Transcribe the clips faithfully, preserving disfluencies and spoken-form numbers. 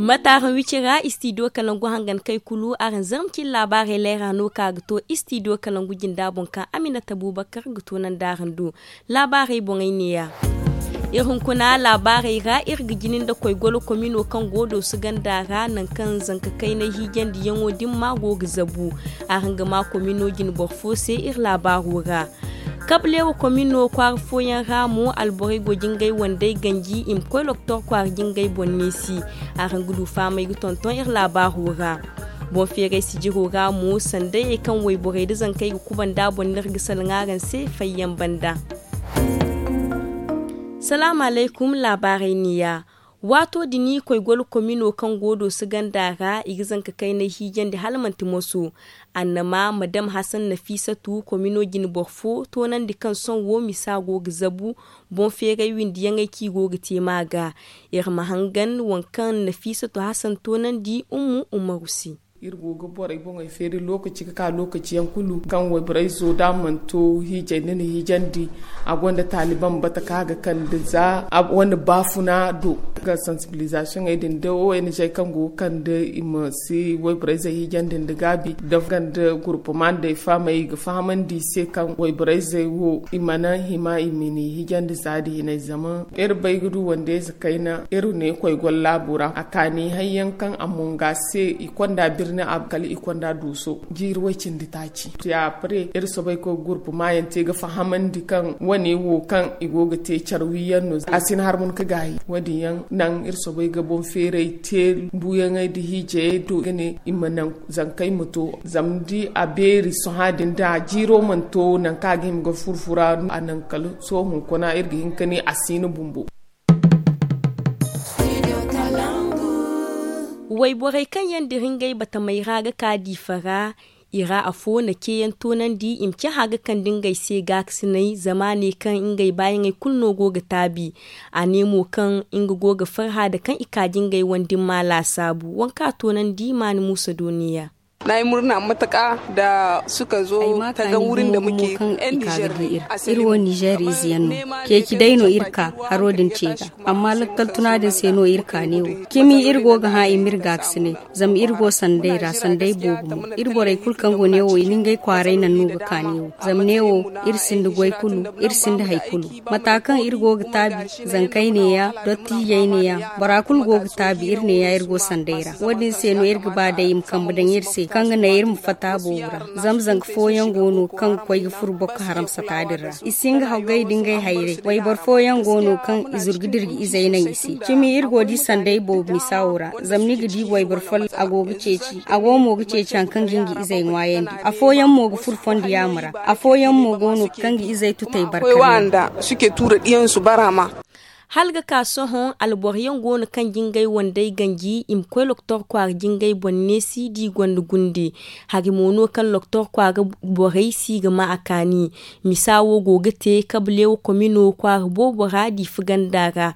Bataaran wici ra istidiyo kalangu hangan kay kulu araŋ zarma cine laabaarey layra no ka ga to istidiyo kalangu jinda boŋ kaŋ aminata bubakar ga to nandi araŋ do. Laabaarey boŋey neeya. Iri hunkuna laabaarey ra iri ga jina nda koy golo komino kaŋ go dooso ganda ra nangu kaŋ zanka kaynay hiijandiyaŋo dimma go ga zabu. Araŋ ga ma komino jine boro fo se iri laabaaro ra. Kableewa komino kwaara fooyaŋ ra mo alborey go jingay wandey ganji i ma koy loktor kwaara jingay boŋ neesi. Araŋ ga du faamay ga tonton iri laabaaro ra. Boŋ feeray sijiro ra mo sanday kaŋ wayborey nda zankey ga kubanda boŋ no iri ga salaŋ araŋ se fayyaŋ banda. Salaamu alaykum laabaarey neeya. Waato din koy golo komino kaŋ go dooso ganda ra i ga zanka kaynay hiijandi hala manti moso. Annama madam hasan nafiisatu komino jine boro fo toonandi kaŋ sohõ wo misa go ga zabu. Boŋ feeray windiyaŋey kaŋ i go ga te ma ga. Iri ma hangan waŋ kaŋ nafiisatu hasan toonandi ummu umaru se. Iri go ga borey boŋey feeri lookaci ga ka lookaci yaŋ kulu kaŋ wayborey zo da a mana to hiijay nda ni hiijandi. A gonda taaliban bata kaŋ a ga kande za wane baafuna do ga sansibilizasiyoŋey din da o n g kaŋ go ga kande i ma si wayborey zey hiijandi nda gaabi da ganda gurpuma nda i fahamay i ga fahamandi i se kaŋ wayborey zey wo i mana hima i ma ni hiijandi za da hinay zama iri bay ga du wande ize kayna iri ne koy goro laabo ra a kaani hayyaŋ kaŋ a monga se i konda birni a kala i konda duuso jiiri way cindi taaci. Te a pare iri soobay koy gurpu maayaŋ te ga fahamandi kaŋ wane wo kaŋ i go ga te care wiyaŋ no a si ni harmon ka gaayi. Wo- din yaŋ naŋ iri soobay ga boŋ feeray te buuyaŋey nda hiijayey do ga ne i ma naŋ zankey ma to zama da a beeri sohã din da jiiro mana to nangu kaŋ a ga hima ga furfura a naŋ kala sohõ hunkuna iri ga hin ka ne a si ni bumbo. Wayborey kaŋ yaŋ dira ngey batamey ra ga ka diifa ra i ra afo na ceeyaŋ toonandi i ma cahã ga kande ngey se gaakasinay zama a ne kaŋ ngey baayaŋey kulu no go ga taabi. A ne mo kaŋ nga go ga farhã nda kaŋ i ka jingey wande ma laasaabu waŋ kaŋ a toonandi maani muusa dooniya. Na ay murna mataka da suka zo taga wurin da muke yan niger. Iri wo niger ize yaŋ no ceeci day no iri ka haro din ce ga. Amma lakkal tuna din se no iri ka ne wo cimi iri go ga hã i ma iri gaakasinay. Zama iri go sanday ra sanday boobo mo iri borey kulu kaŋ go ne wo i na ngey kwaaray naŋ no ga ka ne wo. Zama ne wo iri sinda goy kulu iri sinda hari kulu. Mata kaŋ iri go ga taabi zankey neeya dottijey neeya bora kulu go ga taabi iri neeya iri go sanday ra wo- din se no iri ga ba day i ma kambe daŋ iri se kaŋ ga naŋ iri ma fatta boobo ra. Zama zanka fooyaŋ go no kaŋ ga koy ga furo boro ga haram sata din ra i si hin ga haggay nda ngey hayray wayboro fooyaŋ go no kaŋ i zuru ga dira ga izey naŋ i se. Cimi iri go ga di sanday boobo misa wo ra zama ni ga di wayboro follo a go ga ceeci a go mo ga ceeci hari kaŋ ga nga izey ŋwaayandi. Afooyaŋ mo ga furo fondo yaama ra. Afooyaŋ mo go no kaŋ ga izey tutay barka. Hala ga ka sohõ alboro yaŋ go no kaŋ jingay wandey ganji i ma koy loktor kwaara jingay boŋ neesi da i gonda gunde. Hari mo no kaŋ loktor kwaara borey si ga ma a kaani. Misa wo go ga te kabaleewa komino kwaara boobo ra diifa ganda ra.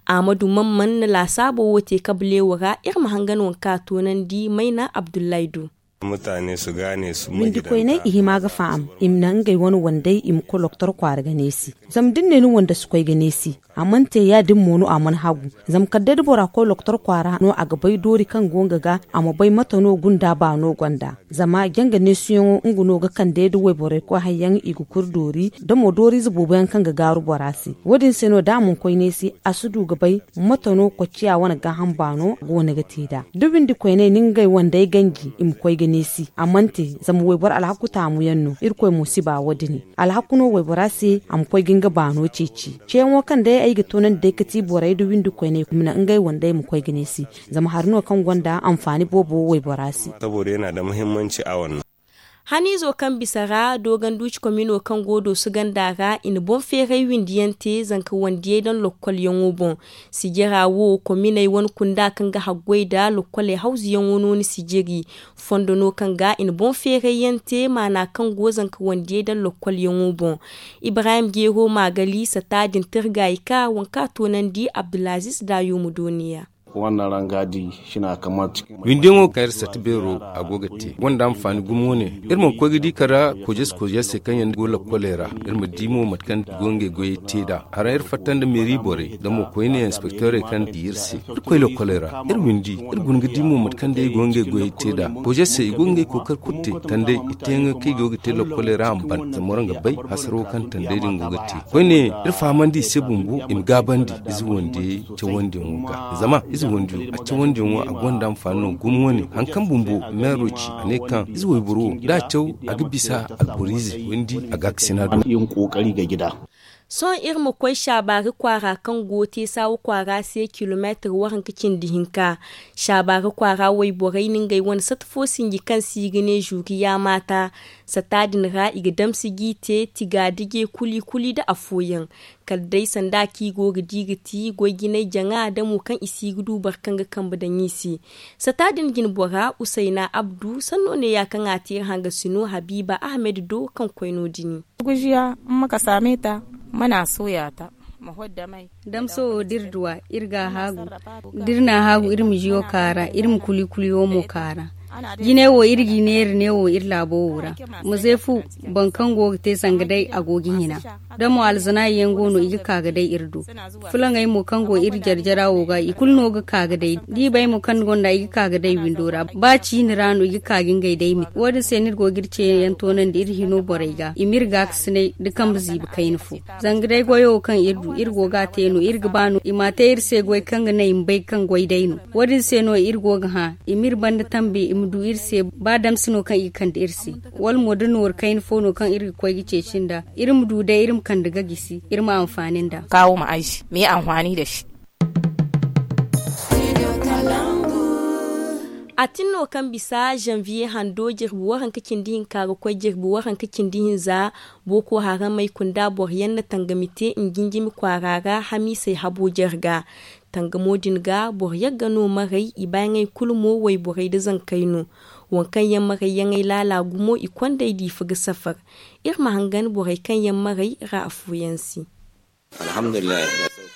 Aamadu mamman na laasaabo wo te kabaleewa ra iri ma hangan waŋ kaŋ a toonandi mayna abdullahi do. Windi koyney i hima ga faham i ma naŋ ngey wane wandey i ma koy loktor kwaara ga neesi. Zama da ni ne ni wande si koy ga neesi a mana te ya- din mo no a mana hagu. Zama kala day da bora koy loktor kwaara no a ga bay doori kaŋ go nga ga a ma bay mate no gunda baano gonda. Zama janga neesiyaŋo nga no ga kande da wayborey koy hari yaŋ i ga kuri doori da mo dooriize boobo yaŋ kaŋ ga gaaru bora se. Wo- din se no da a mana koy neesi a si du ga bay mate no kocciya wane gaaham baano goono ga te nd'a. Da windi koyney na ngey wandey ganji i ma koy ga neesi a mana te. Zama wayboro alhaku taamu yaŋ no irkoy mo si ba wo- din. Alhaku no waybora se a ma koy ga nga baano ceeci ceeyaŋo kaŋ day ay ga toonandi day ga ti borey da windi koyney i ma naŋ ngey wandey ma koy ga neesi. Zama hari no kaŋ gonda anfaani boobo waybora se. Haniizo kaŋ bisa ra dooganduuci komino kaŋ go dooso ganda ra i na boŋ feeray windiyaŋ te zanka wandiyey daŋ lokkolyaŋo boŋ. Sijira wo kominey wane kunda kaŋ ga haggoy nda lokkoley hawzuyaŋo no ni sijiri. Fondo no kaŋ ga i na boŋ feeray yaŋ te maana kaŋ go zanka wandiyey daŋ lokkolyaŋo boŋ. Ibrahim jeero maagali sata din tirga i ka waŋ kaŋ a toonandi abdulaziz daayuuma dooniya. Windiyaŋo kaŋ iri sata beero a go ga te gonda anfaani gumo ne. Iri mana koy ga di kala kojes kojes se kaŋ yaŋ go lakkoley ra. Iri ma di mo mate kaŋ i go ngey goyey te nd'a. Hara iri fatta nda meeri borey nda mo koyne inspekteerey kaŋ di iri se. Iri koy lakkoley ra iri windi. Iri guna ga di mo mate kaŋ day i go ngey goyey te nd'a. Kojes se i go ngey kookari kulu te tanday i te yaŋ kaŋ i go ga te lakkoley ra a ma ban zama waraŋ ga bay hasaro kaŋ tanday din go ga te. Koyne iri fahamandi i se bumbo i ma gaabandi ize wande cawandiyaŋo ga. Zama ize wandiyo a cawandiyaŋo a gonda anfaani no gumo wane haŋ kaŋ bumbo meero ci a ne kaŋ ize wayboro wo da a caw a ga bisa alboro ize windi a ga a ga sina do. Sohõ iri ma koy saabaari kwaara kaŋ go teesaawa kwaara se kilomeetir waranka cindi hinka. Saabaari kwaara wayborey na ngey wane sata fo sinji kaŋ se i ga ne zuriya maata. Sata din ra i ga damsi g'i te tigaadije kuli kuli nda afooyaŋ. Kala day sanda kaŋ i go ga di ga ti goy-jinay jaŋa da mo kaŋ i si ga du boro kaŋ ga kambe daŋ i se. Sata din jinbora usayna abdu sanno neeya kaŋ a te iri hangasino habiiba ahmed do kaŋ koy no- din. Gujiya ma ka saame ta mana sooya ta. Damso wo da iri duwa iri ga a haagu. Da iri n'a haagu iri ma jiyo kaara iri ma kuli kuli wo mo kaara. Jinay wo iri g'i neera ne wo iri laabo wo ra. Muzeefu boro kaŋ go ga te zanga day a go ga hina. Da mo alzanaayi yaŋ go no i ga ka ga day iri do. Fulaŋey mo kaŋ go iri jare jara wo ga i kulu no ga ka ga day da i bay mo kaŋ ni gonda i ga ka ga day windo ra ba ciini ra no i ga ka ga ngey day miti wo- din se no iri go ga iri ceeyaŋ toonandi iri hino borey ga i ma iri gaakasinay nda kambe ziibi kayna fo. Zanga day goyo wo kaŋ iri du iri go ga a te no iri ga ba no i m'a te iri se goy kaŋ ga naŋ i ma bay kaŋ goy day no. Wo- din se no iri go ga hã i m'iri banda tambi i ma du iri se ba damsi no kaŋ i ga kande iri se. Wala mo da noori kayna fo no kaŋ iri ga koy ga ceeci nd'a iri ma du day iri ma kande ga gisi iri ma anfaani nd'a. Kaawo ma ay se ma ye anfaani nda se. A tin no kaŋ bisa zanviye hando jirbi waranka cindi hinka ga koy jirbi waranka cindi hinza. Booko haramey kunda boro yaŋ na tangami te njinjimi kwaara ra hamiisey habo jare ga. Tangamo din ga boro yagga no marey i baayaŋey kulu mo wayborey nda zankey no. Waŋ kaŋ yaŋ marey yaŋey laala gumo i kondey diifa ga safar. Iri ma hangan borey kaŋ yaŋ marey ra afooyaŋ se.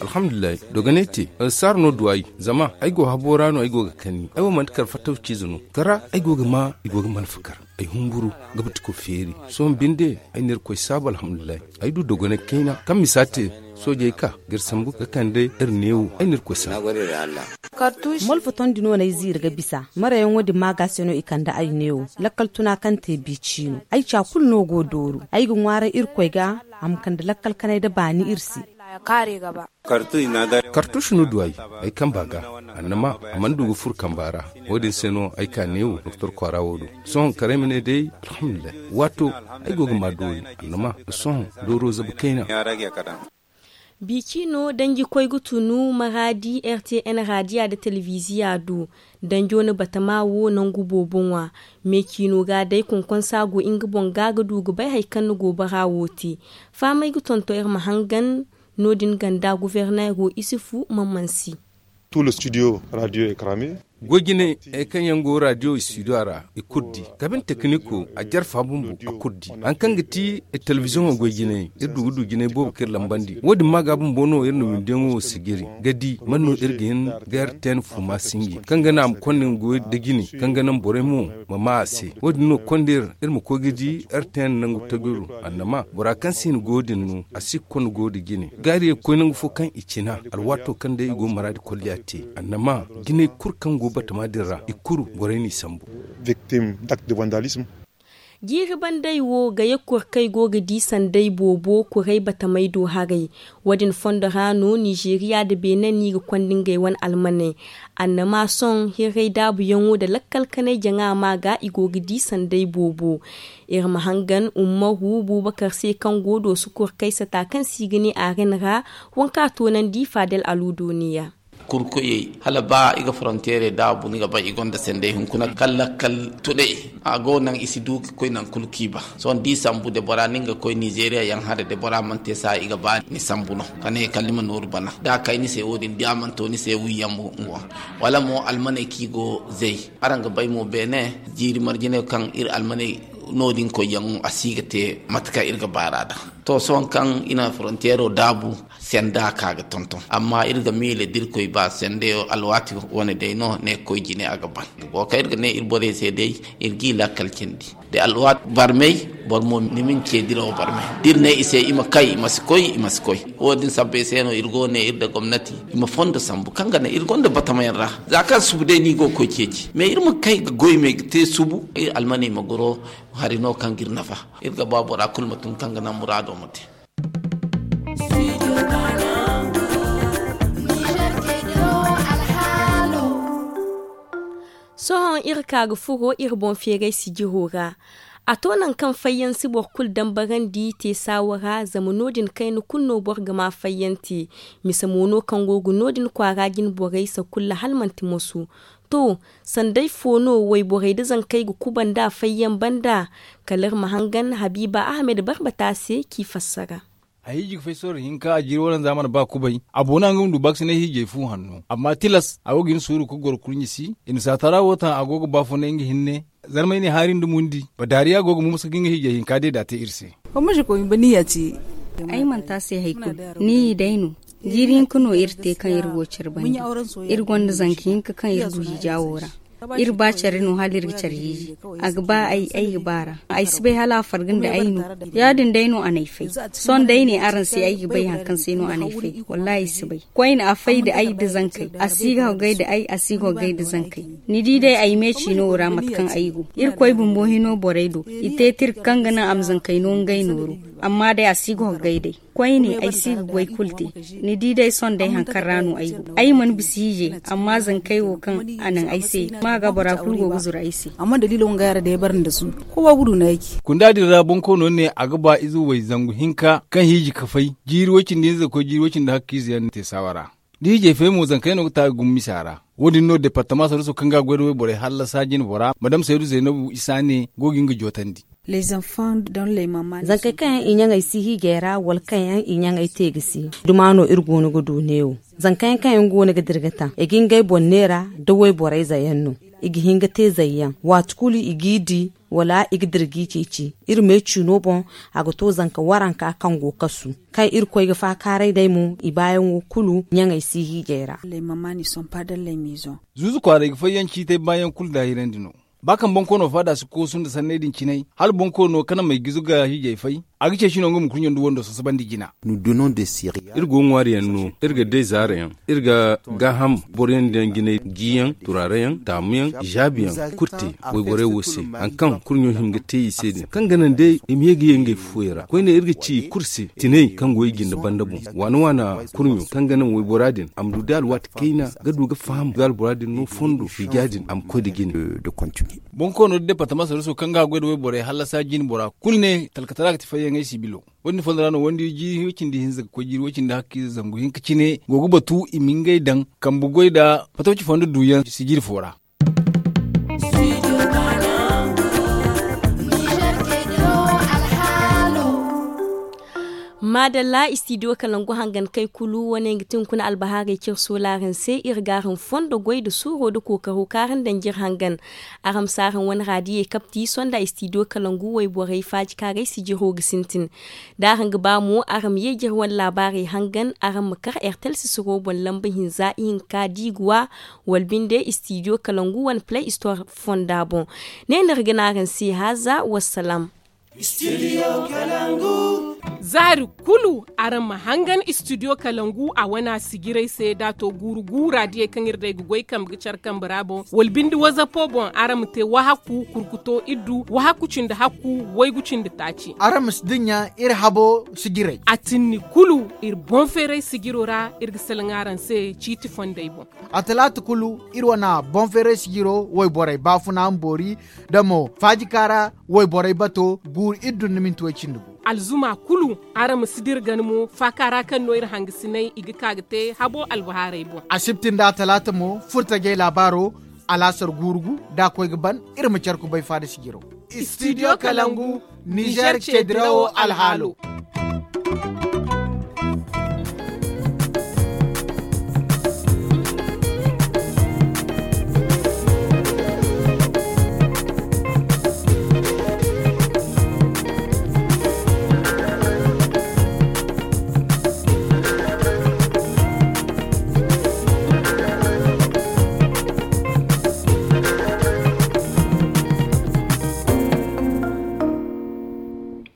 Alhamdulillahi. Dogonay te saara no du ay zama ay go habo ra no ay go ga kanni ay wo manti kar fattaw ciize no kara ay go ga ma i go ga malfa kar. Ay humburu ga batiko feeri sohõ binde ay na irkoy saabu alhamdulillahi. Ay du dogonay kayna kaŋ misa te soojey ka ga iri sambu ga kande iri neewo ay na irkoy saabu. Malfa tondi no n'ay ziiri ga bisa marayaŋo din maaga se no i kande ay neewo lakkal tuna kaŋ te bi ciino ay ca kulu no go dooru ay ga ŋwaaray irkoy ga. A ma kande lakkal kanay nda baani iri se. Kartuusi no du ay ay kamba ga annama a mana du ga furo kamba ra. Wo- din se no ay ka neewo doktor kwaara wo do sohõ kala ay ma ne day alhamdulillahi waato ay go ga ma doori annama sohõ dooro zabu kayna. Biicino danji koy ga tunu maraadi rtn raadiya nda telebiziya do. Danjo na batama wo nangu boobo ŋwa. Me ciino ga day konkonsa go nga boŋ ga ga du ga bay hari kaŋ ni go bara wo te. Fahamey ga tonton iri ma hangan no- din ganda guverneero isifu man mansi. Goy jinay hari kaŋ yaŋ go radio studio ra i kulu di kabin tekiniko a jarfa bumbo a kulu di hari kaŋ ga ti telebiziyoŋo goy jinay iri du ga du jinay boobo kaŋ iri lambandi wo- din ma ga bumbo no iri na windiyaŋo wo sijiri ga di man no iri ga hin ga iri te ni fuma sinji kaŋ ga naŋ a ma konda nga goyo nda jine kaŋ ga naŋ borey mo ma ma a se. Wo- din no konda iri iri ma koy ga di iri te ni nangu tajuru annama bora kaŋ se i na goyo din no a si ga konda goyo nda jine gaari ga koy nangu fo kaŋ i cina alwaato kaŋ day i go maraadi kolliya te. Annama jinay kulu kaŋ go batama din ra i kulu borey n'i sambu. Jiiri bandey wo gaya kurkey go ga di sanday boobo kuray batamey do haray. Wo- din fondo ra no nizeeriya nda beene no i ga konda ngey wane almaney. Annama sohõ hirray daabuyaŋo nda lakkal kanay jaŋa ma ga i go ga di sanday boobo. Iri ma hangan ummaru buubakar se kaŋ go dooso kurkay sata kaŋ se i ga ne arin ra. Waŋ kaŋ a toonandi fadel aluudo neeya. Kurkoyey hala ba i ga foronteerey daabu ni ga bay i gonda sanday hunkuna kala lakkal tunay. A go naŋ i si du ga koy naŋ kulu kaŋ i ba sohõ da i sambu de bora no nga koy nizeeriya yaŋ hara de bora mana te saaya i ga ba ni sambu no ka ne kala ni ma nooru bana da a kay ni se wo- din da a mana to ni se wiiyaŋ mo nga waŋ. Wala mo almaney kaŋ i go zay araŋ ga bay mo beene jiiri marjinay kaŋ iri almaney no- din koyyaŋo a si ga te mate kaŋ iri ga baar'a da. To sohõ kaŋ i na frontiyeero daabu, senda ka ga tonton. Amma iri ga miila da irkoy ba sendeyo alwaati wane day no ne ga koy jine a ga ban. Wo kaŋ iri ga ne iri borey se day, iri g'i lakkal cindi da alwaati barmey. Boro mo ni ma ni ce dirawo barmey da iri ne i se i ma kay i ma si koy i ma si koy. Wo- din sabbay se no iri go ne iri nda gomnati i ma fondo sambu kaŋ ga naŋ iri gonda batamayaŋ ra. Za kaŋ subu day no i go ga koy ceeci mais iri ma kay ga goy me ga te subu iri almaney ma goro. Hari no kaŋ ga iri nafa. Iri ga ba bora kulu ma tun kaŋ ga naŋ muraado ma te. Sohõ iri ka ga furo iri boŋ feeray sijiro ra. A to nangu kaŋ fayyaŋ si boro kulu dambarandi te saawa ra zama no- din kayna kulu no boro ga ma fayyaŋ te. Mise mo no kaŋ go ga no- din kwaara jine borey sakulla hala manti moso. To, sanday fo no wayborey nda zankey ga kuba nd'a fayyaŋ banda? Kala iri ma hangan habiiba ahamed barbata se k'i fassara. A hiiji ga fay sorro hinka a jiiri waranza mana ba kubay. A boona nga ma du baakasinay hiijay fu hanno amma tilas a go ga hin suuru ga goro kurɲe si. I na saatara wo taŋ a go ga baafunay nga hinne. Zarmay ne haari nda mundi badaariya go ga mumsa ga nga hiijay hinka deeda te iri se. Ay mana te a se hari kulu. Ni i day no. Jiiri hinka no iri te kaŋ iri go care banda. Iri gonda zanka hinka kaŋ iri du hiija wo ra. Iri ba care no hala iri ga care hiiji. A ga ba ay ay ga ba ra. Ay si bay hala a farga nda ay no. Ya- din day no a n'ay fay. Sohõ da ay ne araŋ se ay ga bay hari kaŋ se no a n'ay fay. Wallaahi ay si bay. Koyne a fay nda ay nda zankey. A si ga hogay nda ay a si ga hogay nda zankey. Ni di day ay me ciino wo ra mate kaŋ ay go. Irkoy bumbo hino borey do i te tirka kaŋ ga naŋ a ma zankey no ngey nooru. Amma day a si ga hogay day. Koyne ay si ga goy kulu te. Ni di day sohõ day hari kaŋ ra no ay go. Ay mana bisa hiijay amma zankey wo kaŋ a naŋ ay se. Maaga bora kulu go ga zuru ay se. Amma daliilo wangay a ra day ay bare nda suuru. Kowa ga du no ay ci. Kunda din ra bonkoono ne a ga ba ize way zangu hinka kaŋ hiiji ga fay jiiri way cindi hinza ga koy jiiri way cindi hakka ize yaŋ te saawa ra. Da hiijay fay mo zankey no ga ta ga gumo misa ra. Wo- din no departama saraso kaŋ ga a goy nda wayborey hallasa jine bora madam saydu zaynabu isa ne go ga nga jootandi. Zankey kaŋ yaŋ i ɲaŋey si hiijay ra wala kaŋ yaŋ i ɲaŋey te ga si. Duma no iri go no ga du neewo. Zankey yaŋ kaŋ yaŋ go no ga dira ga taŋ i ga ngey boŋ neera nda wayborey zayyaŋ no. I ga hin ga te zayyaŋ waati kulu i g'i di. Wala i ga dira g'i ceeci. Iri me ciino boŋ a ga to zanka waranka kaŋ go kasu. Kaŋ iri koy ga faakaaray day mo i baayaŋo kulu ɲaŋey si hiijay ra. Zuuzu kwaaray ga fayyaŋ ciitay baayaŋ kulu daahirandi no. Ba kaŋ bonkoono faada si koosu nda sanney din cinay hala bonkoono kanamey gizu ga hiijay fay. A ga ceeci no nga ma kurɲo nda wando sasabandi jina. Iri go ŋwaariyaŋ no. Iri ga day zaarayaŋ. Iri ga gaaham boroyaŋ daŋ jinay jiyaŋ turaareyaŋ taamuyaŋ. Izaabiyaŋ kulu te wayborey wo se hari kaŋ kurɲo hima ga te i se din kaŋ ga naŋ day i ma ye ga ye ngey fufuwey ra koyne iri ga ci i kulu se tinay kaŋ go i jinde banda boŋ waana waana kurɲo kaŋ ga naŋ waybora din a ma du day alwaati kayna ga du ga faham ga albora din no fondo hiija din a ma koy nda jine. Bonkoono da departama saraso kaŋ ga a goy nda wayborey hallasa jine bora kulu ne talkatara ga ti fayyaŋey sibilo. Wo- din fondo ra no wandi jiiri way cindi hinza ga koy jiiri way cindi hakka ize zangu hinka cine go ga batu i ma ngey daŋ kambe goy nda fatawci fondo duuyaŋ sijiri fo ra. Maadalla istidiyo kalangu hangankey kulu wane ga ti hunkuna albahaarey cire soolaaraŋ se iri ga araŋ fondo goy nda suuro nda kookaro kaŋ araŋ daŋ jire hangan. Araŋ ma si araŋ wane raadiyey kapti sonda istidiyo kalangu wayborey faajikaaray sijiro ga sintin. Da araŋ ga ba mo araŋ ma ye jire wane laabaarey hangan araŋ ma kar ertel sisiro boŋ lamba hinza ihinka diiguwa wala binde istidiyo kalangu wane play istor fonda boŋ. Ne no iri ga ne araŋ se haaza wassalam. Za hari kulu araŋ ma hangan istidiyo kalangu a wane a sijirey se da a to guuru guura diyey kaŋ iri day ga goy kambe ga care kambe ra boŋ wala binde wazapo boŋ araŋ ma te wahakku kurkuto iddu wahakku cindi hakku waygu cindi taaci. Araŋ ma si dinya iri habo sijirey. A tinni kulu iri boŋ feeray sijiro ra iri ga salaŋ araŋ se ciiti fondey boŋ. A talaata kulu iri wane boŋ feeray sijiro wayborey baafuna ma boori da mo faajikaara wayborey bato guuru iddu nda minti way cindi gu. Alzuma kulu araŋ ma si dira gana mo faaka ra kaŋ no iri hangasiney i ga ka ga te habo albahaarey boŋ. Asibti nda talaata mo furtajey laabaaro alaasar guuru gu da a koy ga ban. Iri ma care kubay faada sijiro. Istidiyo kalangu nizer ce dirawo alhaalo.